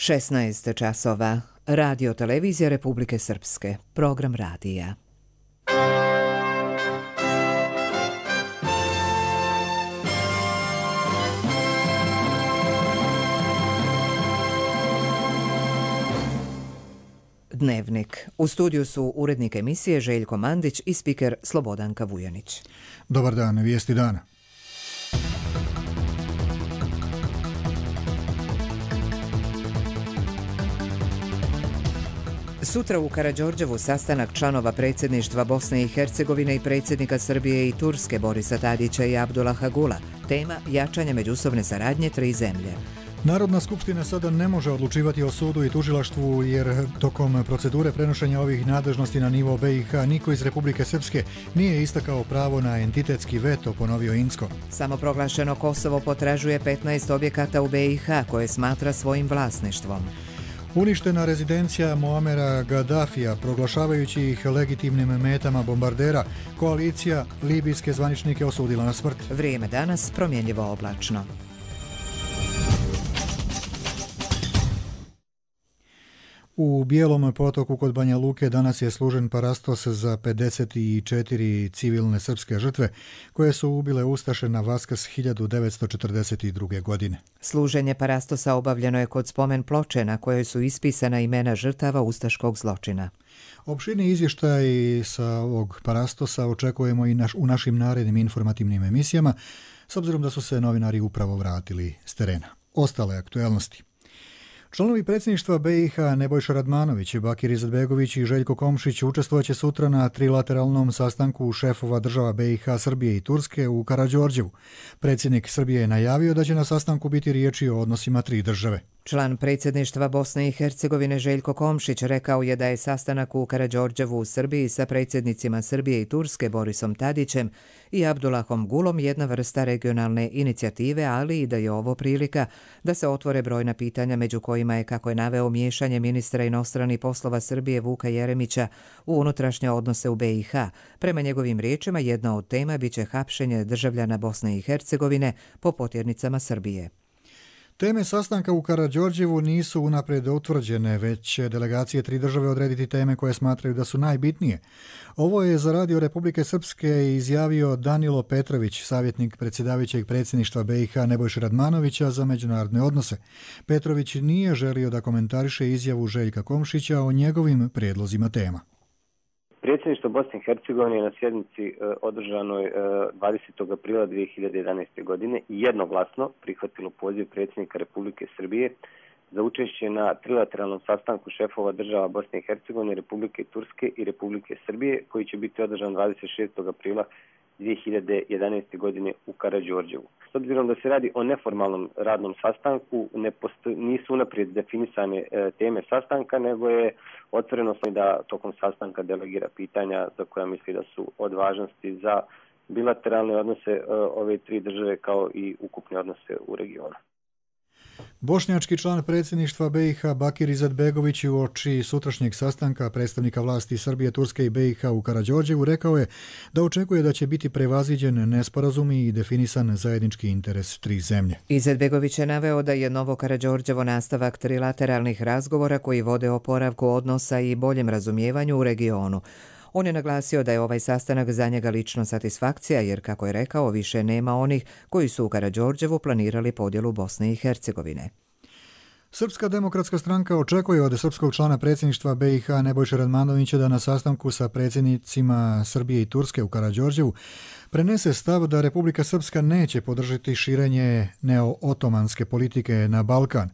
16 časova. Radio televizija Republike Srpske. Program radija. Dnevnik. U studiju su urednik emisije Željko Mandić i spiker Slobodanka Vujanić. Dobar dan, vijesti dana. Sutra u Karađorđevu sastanak članova predsjedništva Bosne i Hercegovine i predsjednika Srbije i Turske Borisa Tadića i Abdullaha Gula. Tema jačanje međusobne saradnje tri zemlje. Narodna skupština sada ne može odlučivati o sudu i tužilaštvu jer tokom procedure prenošenja ovih nadležnosti na nivo BiH niko iz Republike Srpske nije istakao pravo na entitetski veto, ponovio Incko. Samoproglašeno Kosovo potražuje 15 objekata u BiH koje smatra svojim vlasništvom. Uništena rezidencija Muamera Gaddafija, proglašavajući ih legitimnim metama bombardera, koalicija libijske zvaničnike osudila na smrt. Vrijeme danas promjenjivo oblačno. U Bijelom potoku kod Banja Luke danas je služen parastos za 54 civilne srpske žrtve koje su ubile ustaše na Vaskrs 1942. godine. Služenje parastosa obavljeno je kod spomen ploče na kojoj su ispisana imena žrtava ustaškog zločina. Opširni izvještaj sa ovog parastosa očekujemo i u našim narednim informativnim emisijama, s obzirom da su se novinari upravo vratili s terena. Ostale aktuelnosti. Članovi predsjedništva BiH Nebojša Radmanović, Bakir Izetbegović i Željko Komšić učestvovaće sutra na trilateralnom sastanku šefova država BiH, Srbije i Turske u Karađorđevu. Predsjednik Srbije je najavio da će na sastanku biti riječi o odnosima tri države. Član predsjedništva Bosne i Hercegovine Željko Komšić rekao je da je sastanak u Karađorđevu u Srbiji sa predsjednicima Srbije i Turske Borisom Tadićem i Abdullahom Gulom jedna vrsta regionalne inicijative, ali i da je ovo prilika da se otvore brojna pitanja među kojima je, kako je naveo, miješanje ministra inostranih poslova Srbije Vuka Jeremića u unutrašnje odnose u BiH. Prema njegovim riječima, jedna od tema biće hapšenje državljana Bosne i Hercegovine po potjernicama Srbije. Teme sastanka u Karađorđevu nisu unaprijed utvrđene, već će delegacije tri države odrediti teme koje smatraju da su najbitnije. Ovo je za Radio Republike Srpske izjavio Danilo Petrović, savjetnik predsjedavajućeg predsjedništva BiH Nebojše Radmanovića za međunarodne odnose. Petrović nije želio da komentariše izjavu Željka Komšića o njegovim prijedlozima tema. Predsjedništvo Bosne i Hercegovine je na sjednici održanoj 20. aprila 2011. godine jednoglasno prihvatilo poziv predsjednika Republike Srbije za učešće na trilateralnom sastanku šefova država Bosne i Hercegovine, Republike Turske i Republike Srbije, koji će biti održan 26. aprila 2011. godine u Karađorđevu. S obzirom da se radi o neformalnom radnom sastanku, nisu unaprijed definisane teme sastanka, nego je otvoreno da tokom sastanka delegira pitanja za koja misli da su od važnosti za bilateralne odnose ove tri države kao i ukupne odnose u regionu. Bošnjački član predsjedništva BiH Bakir Izetbegović uoči sutrašnjeg sastanka predstavnika vlasti Srbije, Turske i BiH u Karađorđevu rekao je da očekuje da će biti prevaziđen nesporazum i definisan zajednički interes tri zemlje. Izetbegović je naveo da je Novo Karađorđevo nastavak trilateralnih razgovora koji vode oporavku odnosa i boljem razumijevanju u regionu. On je naglasio da je ovaj sastanak za njega lično satisfakcija jer, kako je rekao, više nema onih koji su u Karađorđevu planirali podjelu Bosne i Hercegovine. Srpska demokratska stranka očekuje od srpskog člana predsjedništva BiH Nebojše Radmanovića da na sastanku sa predsjednicima Srbije i Turske u Karađorđevu prenese stav da Republika Srpska neće podržati širenje neo-otomanske politike na Balkan.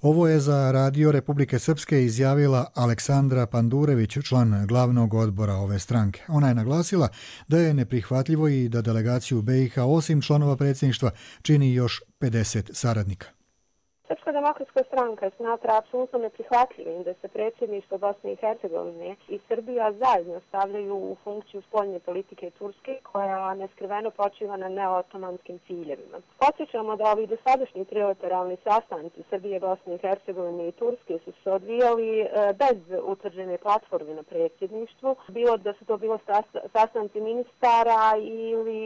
Ovo je za Radio Republike Srpske izjavila Aleksandra Pandurević, član glavnog odbora ove stranke. Ona je naglasila da je neprihvatljivo i da delegaciju BiH osim članova predsjedništva čini još 50 saradnika. Srpska demokratska stranka smatra apsolutno neprihvatljivim da se predsjedništvo Bosne i Hercegovine i Srbija zajedno stavljaju u funkciju spoljne politike Turske koja neskriveno počiva na neotomanskim ciljevima. Podsjećamo da ovi dosadašnji trilateralni sastanci Srbije, Bosne i Hercegovine i Turske su se odvijali bez utvrđene platforme na predsjedništvu, bilo da su to bilo sastanci ministara ili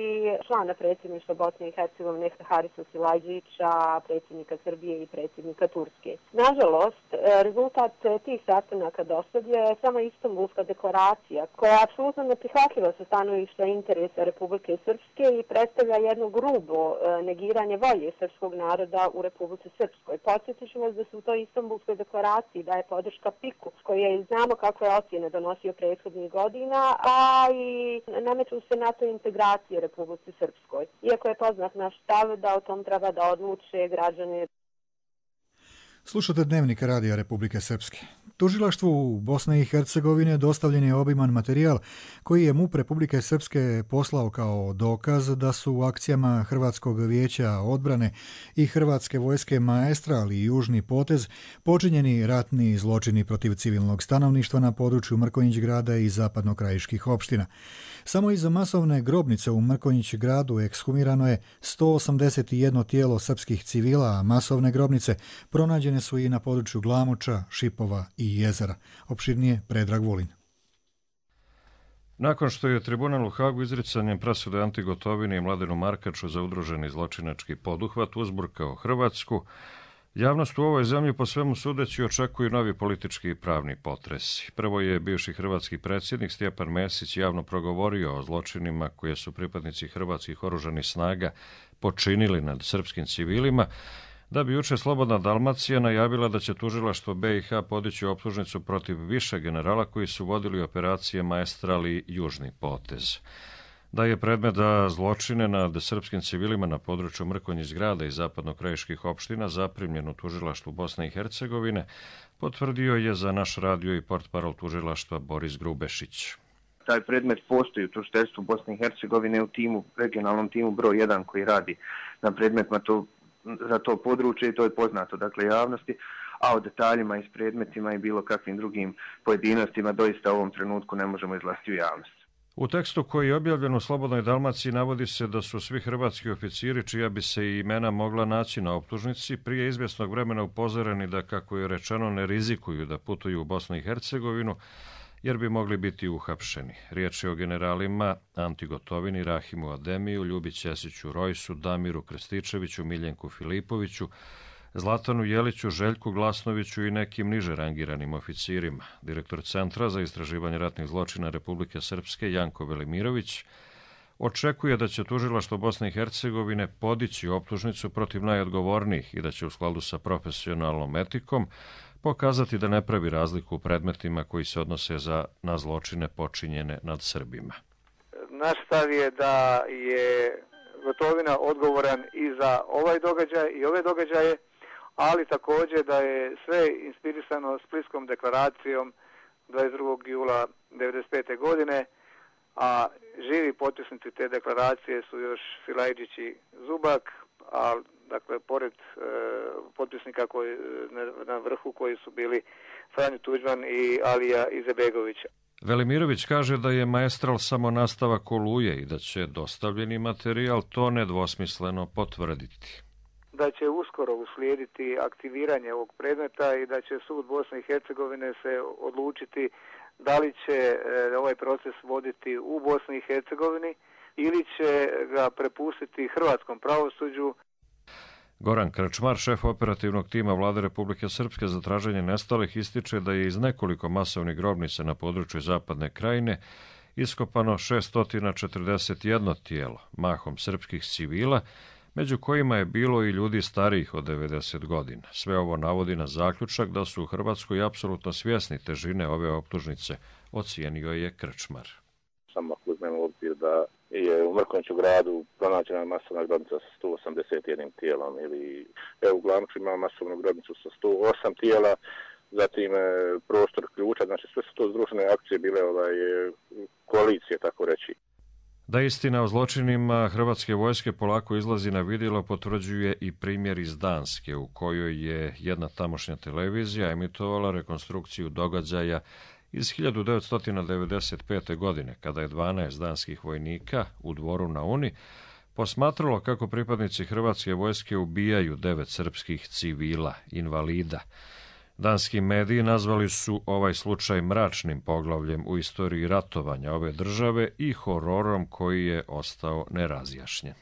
člana predsjedništva Bosne i Hercegovine Harisa Silajdžića, predsjednika Srbije i predsjednika Turske. Nažalost, rezultat tih sastanaka dosad je samo Istanbulska deklaracija, koja je apsolutno neprihvatljiva sa stanovišta interesa Republike Srpske i predstavlja jedno grubo negiranje volje srpskog naroda u Republici Srpskoj. Podsjetit ću vas da se u toj Istanbulskoj deklaraciji daje podrška PIK-u, koji je znamo kako je ocjene donosio prethodnih godina, a i nameću se NATO integracije Republici Srpskoj. Iako je poznat naš stav da o tom treba da odluče građani. Slušate Dnevnik Radija Republike Srpske. Tužilaštvu Bosne i Hercegovine dostavljen je obiman materijal koji je MUP Republike Srpske poslao kao dokaz da su u akcijama Hrvatskog vijeća odbrane i Hrvatske vojske Maestra, ali i Južni potez, počinjeni ratni zločini protiv civilnog stanovništva na području Mrkonjić grada i zapadnokrajiških opština. Samo iz masovne grobnice u Mrkonjić gradu ekshumirano je 181 tijelo srpskih civila, a masovne grobnice pronađene su i na području Glamoča, Šipova i Jezera. Opširnije Predrag Vulin. Nakon što je tribunal u Hagu izricanjem presude Anti Gotovini i Mladenu Markaču za udruženi zločinački poduhvat uzburkao Hrvatsku, javnost u ovoj zemlji po svemu sudeći očekuju novi politički i pravni potresi. Prvo je bivši hrvatski predsjednik Stjepan Mesić javno progovorio o zločinima koje su pripadnici hrvatskih oružanih snaga počinili nad srpskim civilima, da bi juče Slobodna Dalmacija najavila da će tužilaštvo BiH podići optužnicu protiv više generala koji su vodili operacije Maestral i Južni potez. Da je predmet za zločine nad srpskim civilima na području Mrkonjić grada i zapadnokrajiških opština zaprimljen u tužilaštvu Bosne i Hercegovine, potvrdio je za naš radio i portparol tužilaštva Boris Grubešić. Taj predmet postoji u tužiteljstvu Bosne i Hercegovine u regionalnom timu broj 1 koji radi na predmetima za to područje i to je poznato javnosti, a o detaljima i s predmetima i bilo kakvim drugim pojedinostima doista u ovom trenutku ne možemo izlaziti u javnost. U tekstu koji je objavljen u Slobodnoj Dalmaciji navodi se da su svi hrvatski oficiri, čija bi se i imena mogla naći na optužnici, prije izvjesnog vremena upozoreni da, kako je rečeno, ne rizikuju da putuju u Bosnu i Hercegovinu, jer bi mogli biti uhapšeni. Riječ je o generalima Anti Gotovini, Rahimu Ademiju, Ljubi Ćesiću Rojsu, Damiru Krstičeviću, Miljenku Filipoviću, Zlatanu Jeliću, Željku Glasnoviću i nekim niže rangiranim oficirima. Direktor Centra za istraživanje ratnih zločina Republike Srpske, Janko Velimirović, očekuje da će tužilaštvo Bosne i Hercegovine podići optužnicu protiv najodgovornijih i da će u skladu sa profesionalnom etikom pokazati da ne pravi razliku u predmetima koji se odnose na zločine počinjene nad Srbima. Naš stav je da je Gotovina odgovoran i za ovaj događaj i ove događaje, ali također da je sve inspirisano Splitskom deklaracijom 22. jula 1995. godine, a živi potpisnici te deklaracije su još Silajđić i Zubak, a dakle pored potpisnika na vrhu koji su bili Franjo Tuđman i Alija Izetbegović. Velimirović kaže da je Maestral samo nastavak Oluje i da će dostavljeni materijal to nedvosmisleno potvrditi. Da će uskoro uslijediti aktiviranje ovog predmeta i da će sud Bosne i Hercegovine se odlučiti da li će ovaj proces voditi u Bosni i Hercegovini ili će ga prepustiti hrvatskom pravosuđu. Goran Krčmar, šef operativnog tima Vlade Republike Srpske za traženje nestalih, ističe da je iz nekoliko masovnih grobnica na području Zapadne krajine iskopano 641 tijelo, mahom srpskih civila, među kojima je bilo i ljudi starijih od 90 godina. Sve ovo navodi na zaključak da su u Hrvatskoj apsolutno svjesni težine ove optužnice, ocijenio je Krčmar. Samo ako uzmemo u obzir da je u Mrkonjiću gradu pronađena masovna grobnica sa 181 tijelom ili u Glamoču ima masovnu grobnicu sa 108 tijela, zatim prostor Ključa, znači sve su to združene akcije bile koalicije, tako reći. Da istina o zločinima hrvatske vojske polako izlazi na vidjelo potvrđuje i primjer iz Danske, u kojoj je jedna tamošnja televizija emitovala rekonstrukciju događaja iz 1995. godine, kada je 12 danskih vojnika u Dvoru na Uni posmatralo kako pripadnici hrvatske vojske ubijaju 9 srpskih civila, invalida. Danski mediji nazvali su ovaj slučaj mračnim poglavljem u istoriji ratovanja ove države i hororom koji je ostao nerazjašnjen.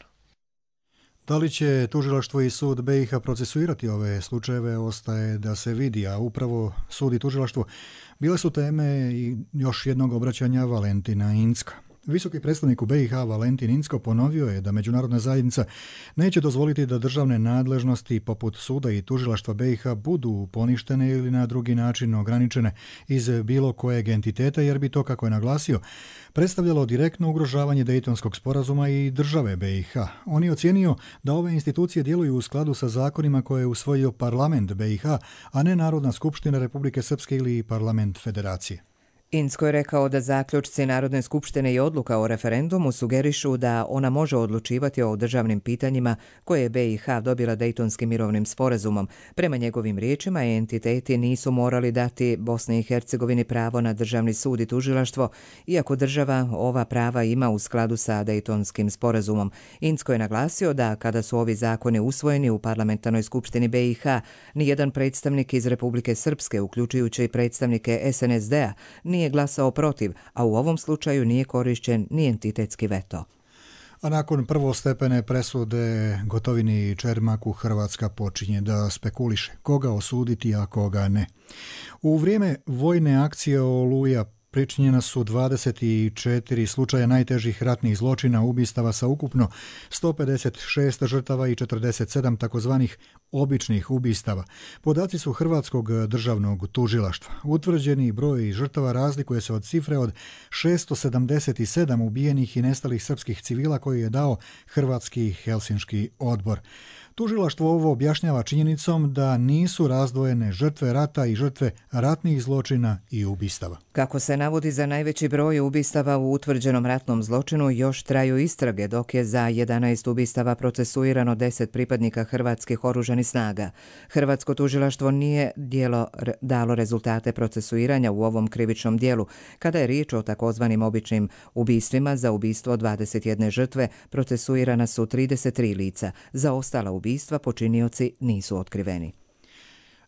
Da li će tužilaštvo i sud BiH procesuirati ove slučajeve ostaje da se vidi, a upravo sud i tužilaštvo bile su teme i još jednog obraćanja Valentina Incka. Visoki predstavnik u BiH Valentin Incko ponovio je da međunarodna zajednica neće dozvoliti da državne nadležnosti poput suda i tužilaštva BiH budu poništene ili na drugi način ograničene iz bilo kojeg entiteta, jer bi to, kako je naglasio, predstavljalo direktno ugrožavanje Dejtonskog sporazuma i države BiH. On je ocijenio da ove institucije djeluju u skladu sa zakonima koje je usvojio parlament BiH, a ne Narodna skupština Republike Srpske ili parlament Federacije. Incko je rekao da zaključci Narodne skupštine i odluka o referendumu sugerišu da ona može odlučivati o državnim pitanjima koje je BiH dobila Dejtonskim mirovnim sporazumom. Prema njegovim riječima, entiteti nisu morali dati Bosni i Hercegovini pravo na državni sud i tužilaštvo, iako država ova prava ima u skladu sa Dejtonskim sporazumom. Incko je naglasio da kada su ovi zakoni usvojeni u parlamentarnoj skupštini BiH, nijedan predstavnik iz Republike Srpske, uključujući predstavnike SNSD-a, nije glasao protiv, a u ovom slučaju nije korišćen ni entitetski veto. A nakon prvostepene presude Gotovini i Čermaku, Hrvatska počinje da spekuliše koga osuditi, a koga ne. U vrijeme vojne akcije Oluja pričinjena su 24 slučaja najtežih ratnih zločina, ubistava sa ukupno 156 žrtava i 47 takozvanih običnih ubistava. Podaci su Hrvatskog državnog tužilaštva. Utvrđeni broj žrtava razlikuje se od cifre od 677 ubijenih i nestalih srpskih civila koji je dao Hrvatski Helsinški odbor. Tužilaštvo ovo objašnjava činjenicom da nisu razdvojene žrtve rata i žrtve ratnih zločina i ubistava. Kako se navodi, za najveći broj ubistava u utvrđenom ratnom zločinu još traju istrage, dok je za 11 ubistava procesuirano 10 pripadnika hrvatskih oružanih snaga. Hrvatsko tužilaštvo nije dalo rezultate procesuiranja u ovom krivičnom dijelu. Kada je riječ o takozvanim običnim ubistvima, za ubistvo 21 žrtve procesuirana su 33 lica. Za ostala ubistva počinioci nisu otkriveni.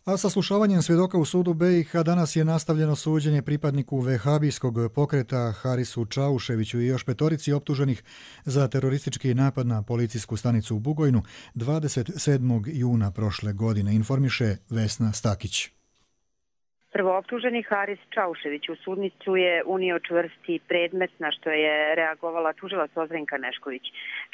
A saslušavanjem svjedoka u sudu BiH danas je nastavljeno suđenje pripadniku vehabijskog pokreta Harisu Čauševiću i još petorici optuženih za teroristički napad na policijsku stanicu u Bugojnu 27. juna prošle godine, informiše Vesna Stakić. Prvooptuženi Haris Čaušević u sudnicu je unio čvrsti predmet, na što je reagovala tužilac Ozrenka Nešković.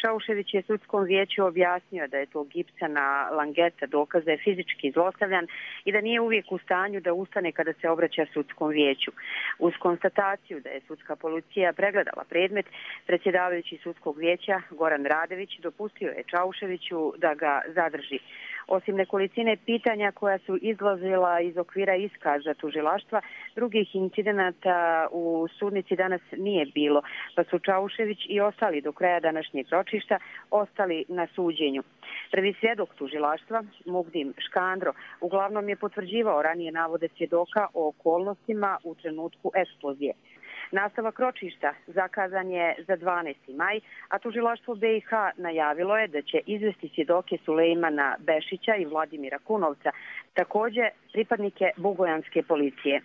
Čaušević je sudskom vijeću objasnio da je to gipsana langeta dokaz da je fizički zlostavljan i da nije uvijek u stanju da ustane kada se obraća sudskom vijeću. Uz konstataciju da je sudska policija pregledala predmet, predsjedavajući sudskog vijeća Goran Radević dopustio je Čauševiću da ga zadrži. Osim nekolicine pitanja koja su izlazila iz okvira iskaza tužilaštva, drugih incidenata u sudnici danas nije bilo, pa su Čaušević i ostali do kraja današnjeg ročišta ostali na suđenju. Prvi svjedok tužilaštva, Mugdim Škandro, uglavnom je potvrđivao ranije navode svjedoka o okolnostima u trenutku eksplozije. Nastavak ročišta zakazan je za 12. maj, a tužilaštvo BiH najavilo je da će izvesti svjedoke Sulejmana Bešića i Vladimira Kunovca, također pripadnike bugojanske policije.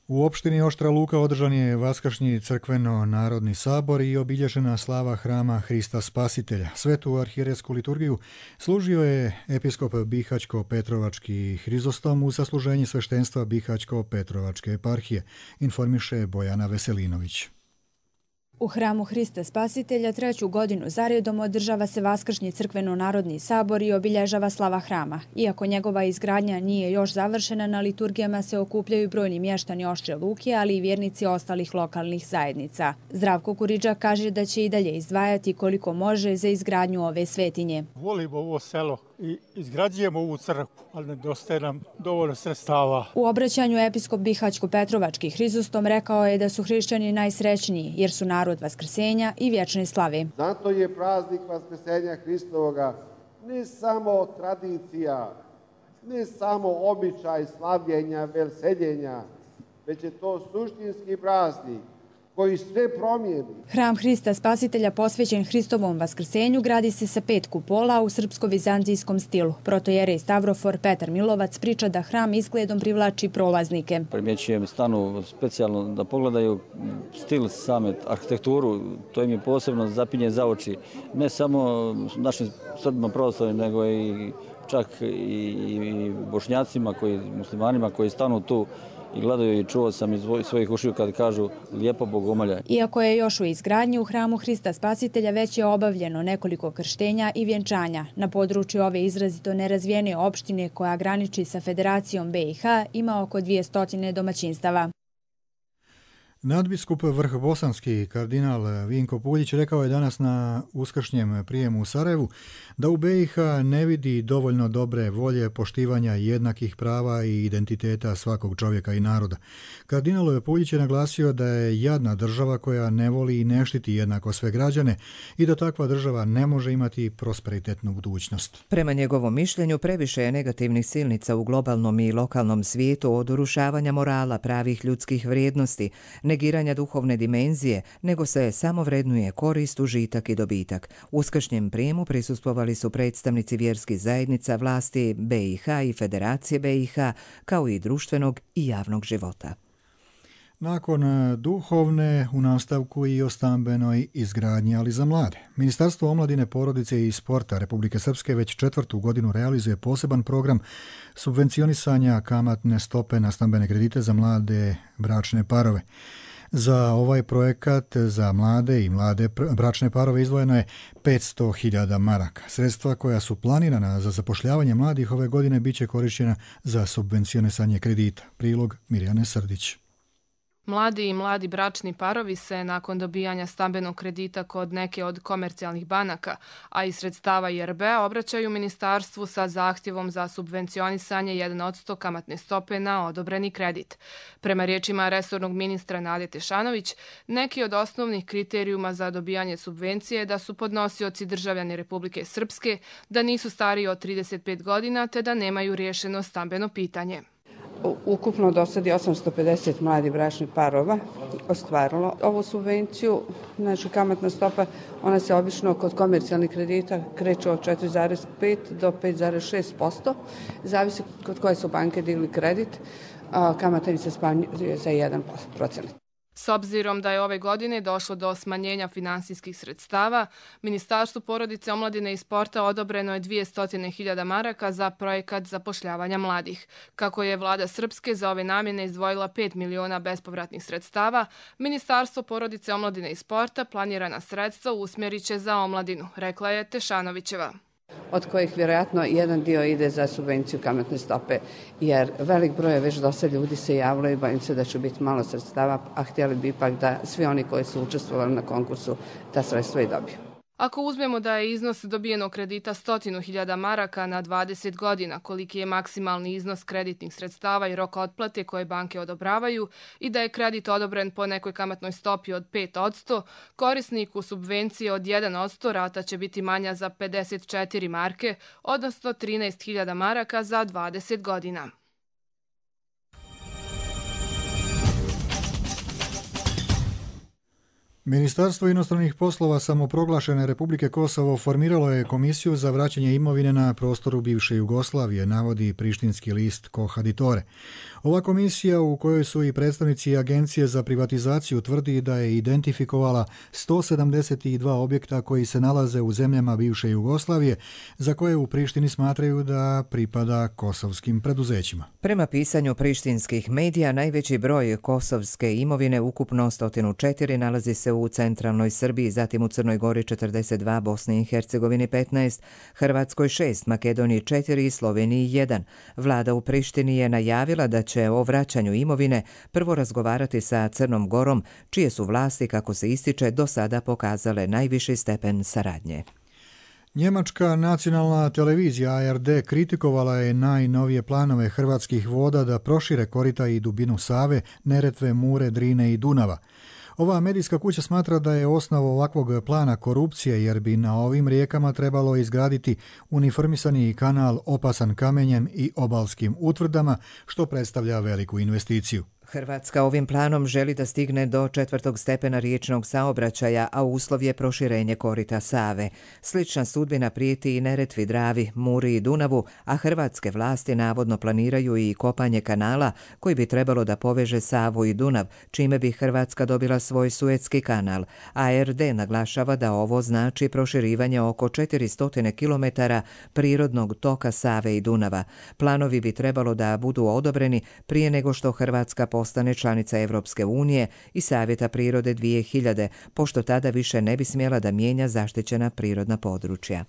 U opštini Oštra Luka održan je vaskršnji crkveno-narodni sabor i obilježena slava hrama Hrista Spasitelja. Svetu arhijerejsku liturgiju služio je episkop Bihaćko-Petrovački Hrizostom uz zasluženje sveštenstva Bihaćko-Petrovačke eparhije, informiše Bojana Veselinović. U hramu Hrista Spasitelja 3. godinu zaredom održava se vaskršnji crkveno-narodni sabor i obilježava slava hrama. Iako njegova izgradnja nije još završena, na liturgijama se okupljaju brojni mještani Oštre Luke, ali i vjernici ostalih lokalnih zajednica. Zdravko Kuriđa kaže da će i dalje izdvajati koliko može za izgradnju ove svetinje. Volimo ovo selo i izgrađujemo ovu crkvu, ali nedostaje nam dovoljno sredstava. U obraćanju episkop Bihaćko-Petrovački Hrizostom rekao je da su hrišćani najsrećniji jer su narod vaskrsenja i vječne slave. Zato je praznik vaskrsenja Hristovoga ne samo tradicija, ne samo običaj slavljenja, veseljenja, već je to suštinski praznik koji sve promijeni. Hram Hrista Spasitelja posvećen Hristovom vaskrsenju gradi se sa 5 kupola u srpsko-vizantijskom stilu. Protojerej Stavrofor Petar Milovac priča da hram izgledom privlači prolaznike. Primjećujem stanu specijalno da pogledaju stil same arhitekturu, to im je posebno zapinje za oči. Ne samo našim Srbima pravoslavnim, nego i čak i bošnjacima, muslimanima koji stanu tu i gledaju i čuo sam iz svojih ušiju kad kažu lijepo bogomolje. Iako je još u izgradnji, u hramu Hrista Spasitelja već je obavljeno nekoliko krštenja i vjenčanja. Na području ove izrazito nerazvijene opštine koja graniči sa Federacijom BiH ima oko 200 domaćinstava. Nadbiskup Vrhbosanski kardinal Vinko Puljić rekao je danas na uskršnjem prijemu u Sarajevu da u BiH ne vidi dovoljno dobre volje poštivanja jednakih prava i identiteta svakog čovjeka i naroda. Kardinal Puljić je naglasio da je jadna država koja ne voli i ne štiti jednako sve građane i da takva država ne može imati prosperitetnu budućnost. Prema njegovom mišljenju previše je negativnih silnica u globalnom i lokalnom svijetu od urušavanja morala, pravih ljudskih vrijednosti, negiranja duhovne dimenzije, nego se samo vrednuje korist, užitak i dobitak. Uskršnjem prijemu prisustvovali su predstavnici vjerskih zajednica, vlasti BiH i Federacije BiH, kao i društvenog i javnog života. Nakon duhovne, u nastavku i o stambenoj izgradnji, ali za mlade. Ministarstvo omladine, porodice i sporta Republike Srpske već 4. godinu realizuje poseban program subvencionisanja kamatne stope na stambene kredite za mlade bračne parove. Za ovaj projekat za mlade i mlade bračne parove izdvojeno je 500.000 maraka. Sredstva koja su planirana za zapošljavanje mladih ove godine biće korištena za subvencionisanje kredita. Prilog Mirjane Srdić. Mladi i mladi bračni parovi se nakon dobijanja stambenog kredita kod neke od komercijalnih banaka, a i sredstava IRB-a obraćaju ministarstvu sa zahtjevom za subvencionisanje 1% kamatne stope na odobreni kredit. Prema riječima resornog ministra Nade Tešanović, neki od osnovnih kriterijuma za dobijanje subvencije je da su podnosioci državljani Republike Srpske, da nisu stariji od 35 godina te da nemaju riješeno stambeno pitanje. Ukupno do sad je 850 mladih bračnih parova ostvarilo ovu subvenciju. Znači, kamatna stopa, ona se obično kod komercijalnih kredita kreće od 4,5 do 5,6%. Zavisi kod koje su banke digli kredit, kamata im se smanjuje za 1%. S obzirom da je ove godine došlo do smanjenja finansijskih sredstava, Ministarstvu porodice, omladine i sporta odobreno je 200.000 maraka za projekat zapošljavanja mladih. Kako je vlada Srpske za ove namjene izdvojila 5 miliona bespovratnih sredstava, Ministarstvo porodice, omladine i sporta planirana sredstva usmjerit će za omladinu, rekla je Tešanovićeva. Od kojih vjerojatno jedan dio ide za subvenciju kamatne stope, jer velik broj već dosta ljudi se javilo i bojim se da će biti malo sredstava, a htjeli bi ipak da svi oni koji su učestvovali na konkursu ta sredstva i dobiju. Ako uzmemo da je iznos dobijenog kredita 100.000 maraka na 20 godina, koliki je maksimalni iznos kreditnih sredstava i roka otplate koje banke odobravaju i da je kredit odobren po nekoj kamatnoj stopi od 5%, korisniku subvencije od 1% rata će biti manja za 54 marke, odnosno 13.000 maraka za 20 godina. Ministarstvo inostranih poslova samoproglašene Republike Kosovo formiralo je komisiju za vraćanje imovine na prostoru bivše Jugoslavije, navodi prištinski list Kohaditore. Ova komisija, u kojoj su i predstavnici Agencije za privatizaciju, tvrdi da je identifikovala 172 objekta koji se nalaze u zemljama bivše Jugoslavije, za koje u Prištini smatraju da pripada kosovskim preduzećima. Prema pisanju prištinskih medija, najveći broj kosovske imovine, ukupno 104, nalazi se u centralnoj Srbiji, zatim u Crnoj Gori 42, Bosni i Hercegovini 15, Hrvatskoj 6, Makedoniji 4 i Sloveniji 1. Vlada u Prištini je najavila da će o vraćanju imovine prvo razgovarati sa Crnom Gorom, čije su vlasti, kako se ističe, do sada pokazale najviši stepen saradnje. Njemačka nacionalna televizija ARD kritikovala je najnovije planove Hrvatskih voda da prošire korita i dubinu Save, Neretve, Mure, Drine i Dunava. Ova medijska kuća smatra da je osnov ovakvog plana korupcije, jer bi na ovim rijekama trebalo izgraditi uniformisani kanal opasan kamenjem i obalskim utvrdama, što predstavlja veliku investiciju. Hrvatska ovim planom želi da stigne do 4. stepena riječnog saobraćaja, a uslov je proširenje korita Save. Slična sudbina prijeti i Neretvi, Dravi, Muri i Dunavu, a hrvatske vlasti navodno planiraju i kopanje kanala koji bi trebalo da poveže Savu i Dunav, čime bi Hrvatska dobila svoj Suetski kanal. ARD naglašava da ovo znači proširivanje oko 400 km prirodnog toka Save i Dunava. Planovi bi trebalo da budu odobreni prije nego što Hrvatska postane članica Evropske unije i Savjeta prirode 2000, pošto tada više ne bi smjela da mijenja zaštićena prirodna područja.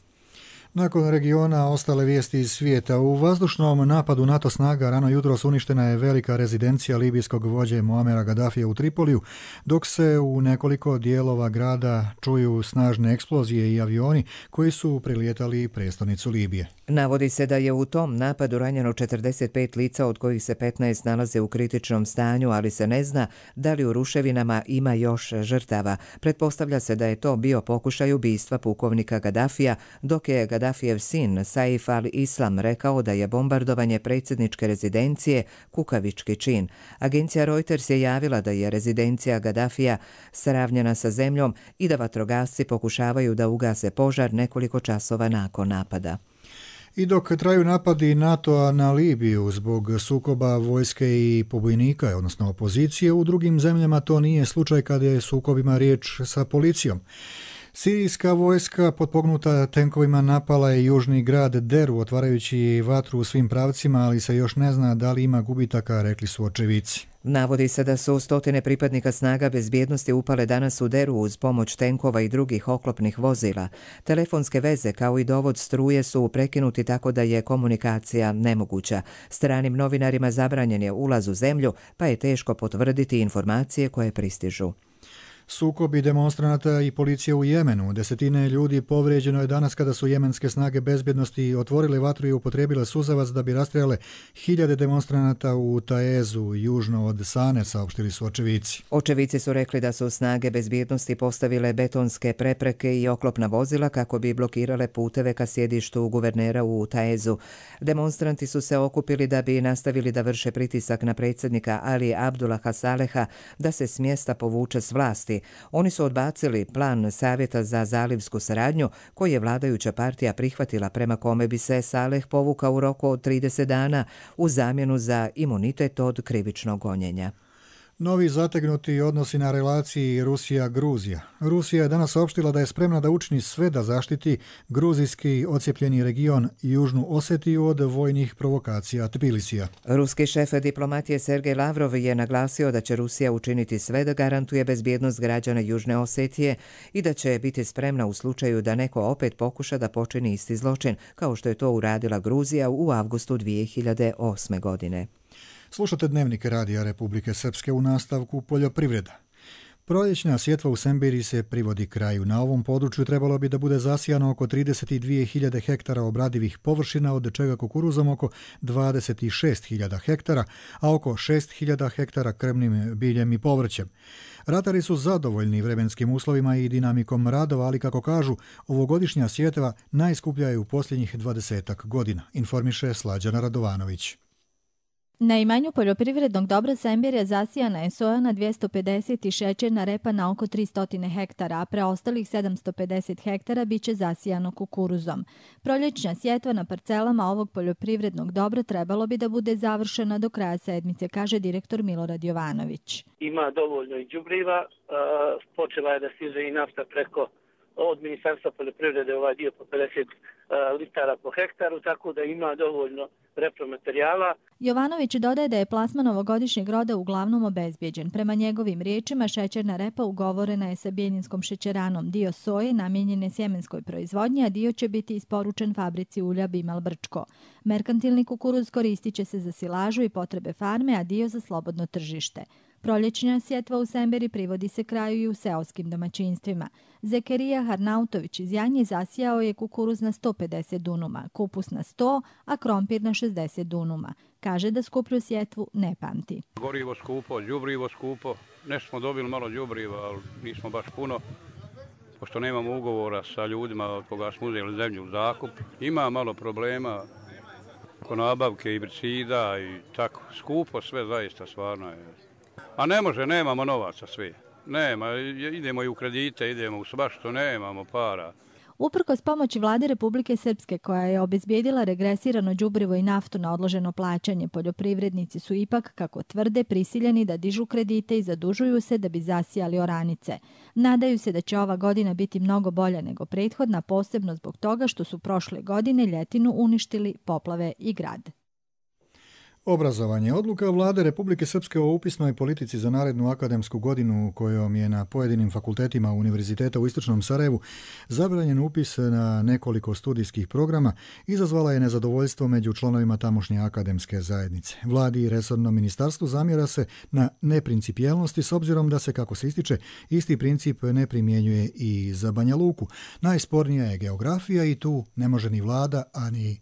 Nakon regiona ostale vijesti iz svijeta. U vazdušnom napadu NATO snaga rano jutros uništena je velika rezidencija libijskog vođe Muamera Gaddafija u Tripoliju, dok se u nekoliko dijelova grada čuju snažne eksplozije i avioni koji su prilijetali prestonicu Libije. Navodi se da je u tom napadu ranjeno 45 lica, od kojih se 15 nalaze u kritičnom stanju, ali se ne zna da li u ruševinama ima još žrtava. Pretpostavlja se da je to bio pokušaj ubistva pukovnika Gaddafija, dok je Gaddafijev sin Saif al-Islam rekao da je bombardovanje predsjedničke rezidencije kukavički čin. Agencija Reuters je javila da je rezidencija Gaddafija sravnjena sa zemljom i da vatrogasci pokušavaju da ugase požar nekoliko časova nakon napada. I dok traju napadi NATO-a na Libiju zbog sukoba vojske i pobojnika, odnosno opozicije, u drugim zemljama to nije slučaj kada je sukobima riječ sa policijom. Sirijska vojska potpognuta tenkovima napala je južni grad Deru, otvarajući vatru u svim pravcima, ali se još ne zna da li ima gubitaka, rekli su očevici. Navodi se da su stotine pripadnika snaga bezbjednosti upale danas u Deru uz pomoć tenkova i drugih oklopnih vozila. Telefonske veze kao i dovod struje su prekinuti tako da je komunikacija nemoguća. Stranim novinarima zabranjen je ulaz u zemlju, pa je teško potvrditi informacije koje pristižu. Sukobi demonstranata i policije u Jemenu. Desetine ljudi povrijeđeno je danas kada su jemenske snage bezbjednosti otvorile vatru i upotrijebile suzavac da bi rastrijale hiljade demonstranata u Taezu, južno od Sane, saopštili su očevici. Očevici su rekli da su snage bezbjednosti postavile betonske prepreke i oklopna vozila kako bi blokirale puteve ka sjedištu guvernera u Taezu. Demonstranti su se okupili da bi nastavili da vrše pritisak na predsjednika Ali Abdullaha Saleha da se s mjesta povuče s vlasti. Oni su odbacili plan Savjeta za zalivsku saradnju koji je vladajuća partija prihvatila, prema kome bi se Saleh povukao u roku od 30 dana u zamjenu za imunitet od krivičnog gonjenja. Novi zategnuti odnosi na relaciji Rusija-Gruzija. Rusija je danas saopštila da je spremna da učini sve da zaštiti gruzijski ocijepljeni region Južnu Osetiju od vojnih provokacija Tbilisija. Ruski šef diplomatije Sergej Lavrov je naglasio da će Rusija učiniti sve da garantuje bezbjednost građana Južne Osetije i da će biti spremna u slučaju da neko opet pokuša da počini isti zločin, kao što je to uradila Gruzija u avgustu 2008. godine. Slušate Dnevnik Radija Republike Srpske, u nastavku poljoprivreda. Proljećna sjetva u Sembiri se privodi kraju. Na ovom području trebalo bi da bude zasijano oko 32.000 hektara obradivih površina, od čega kukuruzom oko 26.000 hektara, a oko 6.000 hektara krmnim biljem i povrćem. Ratari su zadovoljni vremenskim uslovima i dinamikom radova, ali kako kažu, ovogodišnja sjetva najskuplja je u posljednjih 20 godina, informiše Slađana Radovanović. Na imanju poljoprivrednog dobra Sembir zasijana je soja na 250 i šećerna repa na oko 300 hektara, a preostalih 750 hektara biće zasijano kukuruzom. Proljećna sjetva na parcelama ovog poljoprivrednog dobra trebalo bi da bude završena do kraja sedmice, kaže direktor Milorad Jovanović. Ima dovoljno i đubriva, počela je da stiže i nafta preko od Ministarstva poljoprivrede, ovaj dio po 50 litara po hektaru, tako da ima dovoljno repromaterijala. Jovanović dodaje da je plasman ovogodišnjeg roda uglavnom obezbijeđen. Prema njegovim riječima, šećerna repa ugovorena je sa Bijeljinskom šećeranom. Dio soje namijenjen je sjemenskoj proizvodnji, a dio će biti isporučen fabrici ulja Bimal Brčko. Merkantilni kukuruz koristit će se za silažu i potrebe farme, a dio za slobodno tržište. Proljećna sjetva u Semberi privodi se kraju i u seoskim domaćinstvima. Zekerija Harnautović iz Janje zasijao je kukuruz na 150 dunuma, kupus na 100, a krompir na 60 dunuma. Kaže da skuplju sjetvu ne pamti. Gorivo skupo, đubrivo skupo. Nešto smo dobili malo đubriva, ali nismo baš puno. Pošto nemamo ugovora sa ljudima od koga smo uzeli zemlju u zakup. Ima malo problema oko nabavke i herbicida i tako. Skupo sve zaista, stvarno je. A ne može, nemamo novaca svi. Nema, idemo i u kredite, idemo u baš što nemamo para. Uprkos pomoći vlade Republike Srpske koja je obezbijedila regresirano đubrivo i naftu na odloženo plaćanje, poljoprivrednici su ipak, kako tvrde, prisiljeni da dižu kredite i zadužuju se da bi zasijali oranice. Nadaju se da će ova godina biti mnogo bolja nego prethodna, posebno zbog toga što su prošle godine ljetinu uništili poplave i grad. Obrazovanje. Odluka vlade Republike Srpske o upisnoj politici za narednu akademsku godinu kojom je na pojedinim fakultetima Univerziteta u Istočnom Sarajevu zabranjen upis na nekoliko studijskih programa izazvala je nezadovoljstvo među članovima tamošnje akademske zajednice. Vladi i resornom ministarstvu zamjera se na neprincipijelnosti s obzirom da se, kako se ističe, isti princip ne primjenjuje i za Banja Luku. Najspornija je geografija i tu ne može ni vlada, ani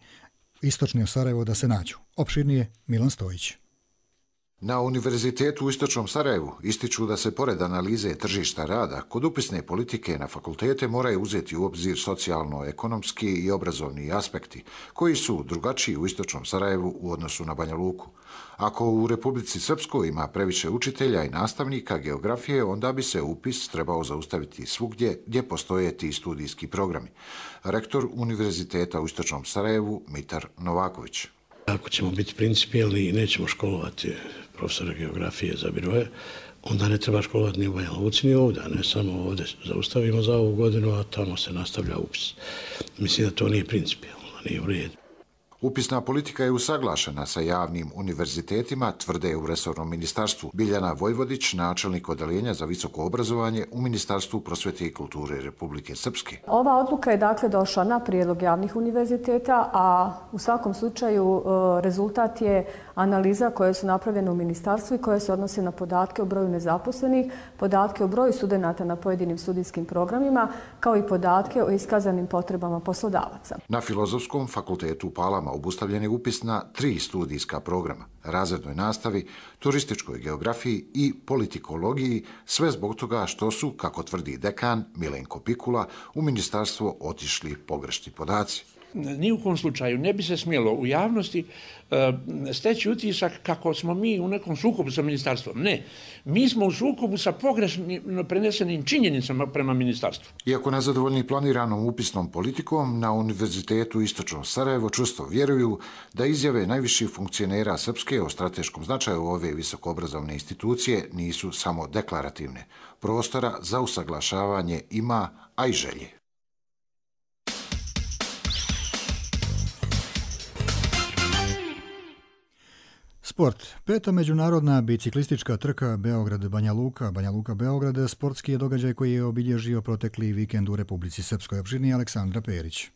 Istočni Sarajevo da se nađu. Opširnije Milan Stojić. Na Univerzitetu u Istočnom Sarajevu ističu da se pored analize tržišta rada kod upisne politike na fakultete moraju uzeti u obzir socijalno-ekonomski i obrazovni aspekti koji su drugačiji u Istočnom Sarajevu u odnosu na Banja Luku. Ako u Republici Srpskoj ima previše učitelja i nastavnika geografije, onda bi se upis trebao zaustaviti svugdje gdje postoje ti studijski programi. Rektor Univerziteta u Istočnom Sarajevu Mitar Novaković. Ako ćemo biti principijelni i nećemo školovati profesora geografije za biroje, onda ne treba školovati ni u Banja Luci ni ovdje, a ne samo ovdje zaustavimo za ovu godinu, a tamo se nastavlja upis. Mislim da to nije principijelno, nije u redu. Upisna politika je usaglašena sa javnim univerzitetima, tvrde u resornom ministarstvu. Biljana Vojvodić, načelnik odeljenja za visoko obrazovanje u Ministarstvu prosvete i kulture Republike Srpske. Ova odluka je dakle došla na prijedlog javnih univerziteta, a u svakom slučaju rezultat je analiza koje su napravljene u ministarstvu i koje se odnose na podatke o broju nezaposlenih, podatke o broju studenata na pojedinim studijskim programima, kao i podatke o iskazanim potrebama poslodavaca. Na Filozofskom fakultetu u Palama obustavljen je upis na 3 studijska programa, razrednoj nastavi, turističkoj geografiji i politikologiji, sve zbog toga što su, kako tvrdi dekan Milenko Pikula, u ministarstvo otišli pogrešni podaci. Ni u kom slučaju ne bi se smjelo u javnosti steći utisak kako smo mi u nekom sukobu sa ministarstvom. Ne, mi smo u sukobu sa pogrešno prenesenim činjenicama prema ministarstvu. Iako nezadovoljni planiranom upisnom politikom, na Univerzitetu Istočno Sarajevo čvrsto vjeruju da izjave najviših funkcionera Srpske o strateškom značaju ove visokoobrazovne institucije nisu samo deklarativne. Prostora za usaglašavanje ima, a i želje. Sport. 5. međunarodna biciklistička trka Beograd-Banja Luka, Banja Luka-Beograd, sportski je događaj koji je obilježio protekli vikend u Republici Srpskoj. Opširnije Aleksandra Perić.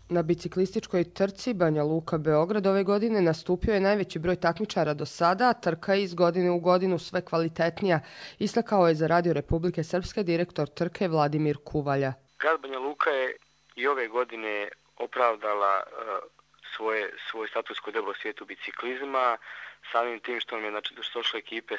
Na biciklističkoj trci Banja Luka-Beograd ove godine nastupio je najveći broj takmičara do sada, a trka je iz godine u godinu sve kvalitetnija, istakao je za Radio Republike Srpske direktor trke Vladimir Kuvalja. Grad Banja Luka je i ove godine opravdala svoj status kod u svijetu biciklizma, samim tim što nam je došle ekipe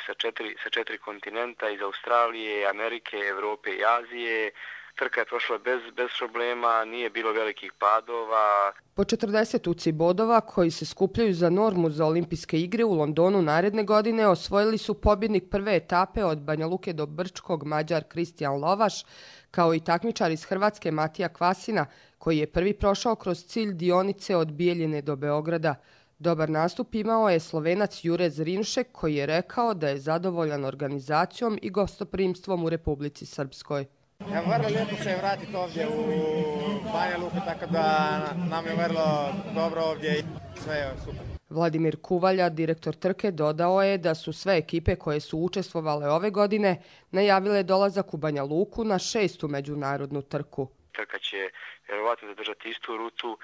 sa četiri kontinenta, iz Australije, Amerike, Evrope i Azije. Trka je prošla bez problema, nije bilo velikih padova. Po 40 UCI bodova koji se skupljaju za normu za olimpijske igre u Londonu naredne godine osvojili su pobjednik prve etape od Banja Luke do Brčkog Mađar Kristijan Lovaš, kao i takmičar iz Hrvatske Matija Kvasina, koji je prvi prošao kroz cilj dionice od Bijeljine do Beograda. Dobar nastup imao je Slovenac Jure Zrinšek, koji je rekao da je zadovoljan organizacijom i gostoprimstvom u Republici Srpskoj. Vrlo lijepo se vratiti ovdje u Banja Luku, tako da nam je vrlo dobro ovdje i sve je super. Vladimir Kuvalja, direktor trke, dodao je da su sve ekipe koje su učestvovale ove godine najavile dolazak u Banja Luku na 6. međunarodnu trku. Trka će vjerovatno zadržati istu rutu.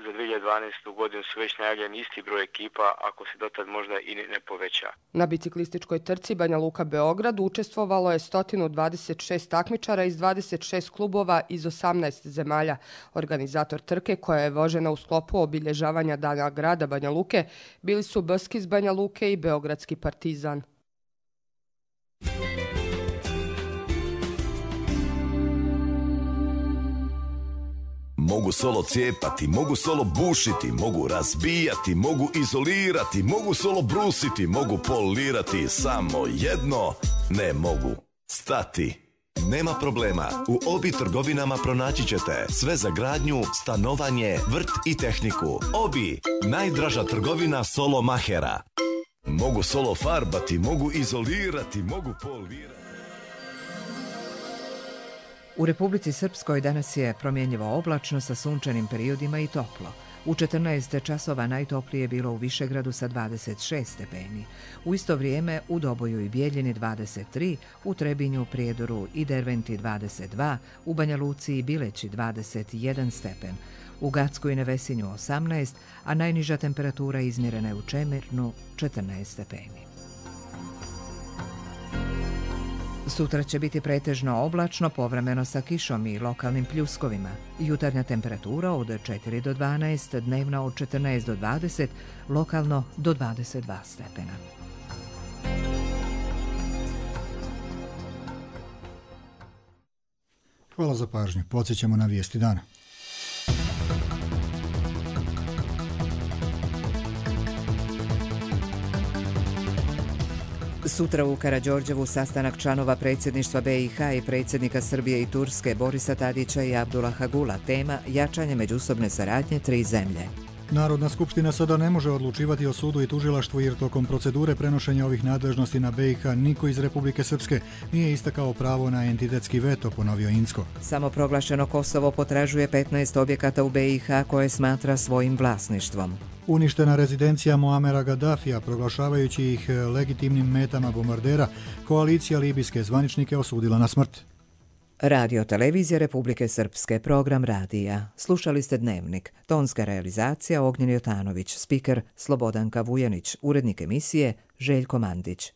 Za 2012. godinu su već najavljeni isti broj ekipa, ako se dotad možda i ne poveća. Na biciklističkoj trci Banja Luka-Beograd učestvovalo je 126 takmičara iz 26 klubova iz 18 zemalja. Organizator trke, koja je vožena u sklopu obilježavanja Dana grada Banja Luke, bili su Bski iz Banja Luke i Beogradski Partizan. Mogu solo cijepati, mogu solo bušiti, mogu razbijati, mogu izolirati, mogu solo brusiti, mogu polirati, samo jedno ne mogu stati. Nema problema, u Obi trgovinama pronaći ćete sve za gradnju, stanovanje, vrt i tehniku. Obi, najdraža trgovina solo mahera. Mogu solo farbati, mogu izolirati, mogu polirati. U Republici Srpskoj danas je promjenjivo oblačno sa sunčanim periodima i toplo. U 14 časova najtoplije je bilo u Višegradu sa 26 stepeni. U isto vrijeme u Doboju i Bijeljini 23, u Trebinju, Prijedoru i Derventi 22, u Banja Luci i Bileći 21 stepen, u Gacku i Nevesinju 18, a najniža temperatura izmjerena je u Čemirnu 14 stepeni. Sutra će biti pretežno oblačno, povremeno sa kišom i lokalnim pljuskovima. Jutarnja temperatura od 4 do 12, dnevna od 14 do 20, lokalno do 22 stepena. Hvala za pažnju. Podsjećamo na vijesti dana. Sutra u Karađorđevu sastanak članova predsjedništva BiH i predsjednika Srbije i Turske Borisa Tadića i Abdullaha Gula. Tema jačanje međusobne saradnje tri zemlje. Narodna skupština sada ne može odlučivati o sudu i tužilaštvu jer tokom procedure prenošenja ovih nadležnosti na BiH niko iz Republike Srpske nije istakao pravo na entitetski veto, ponovio Incko. Samoproglašeno Kosovo potražuje 15 objekata u BiH koje smatra svojim vlasništvom. Uništena rezidencija Muamera Gaddafija, proglašavajući ih legitimnim metama bombardera, koalicija libijske zvaničnike osudila na smrt. Radio Televizija Republike Srpske, program radija. Slušali ste Dnevnik. Tonska realizacija Ognjen Jotanović, spiker Slobodanka Vujanić, urednik emisije Željko Mandić.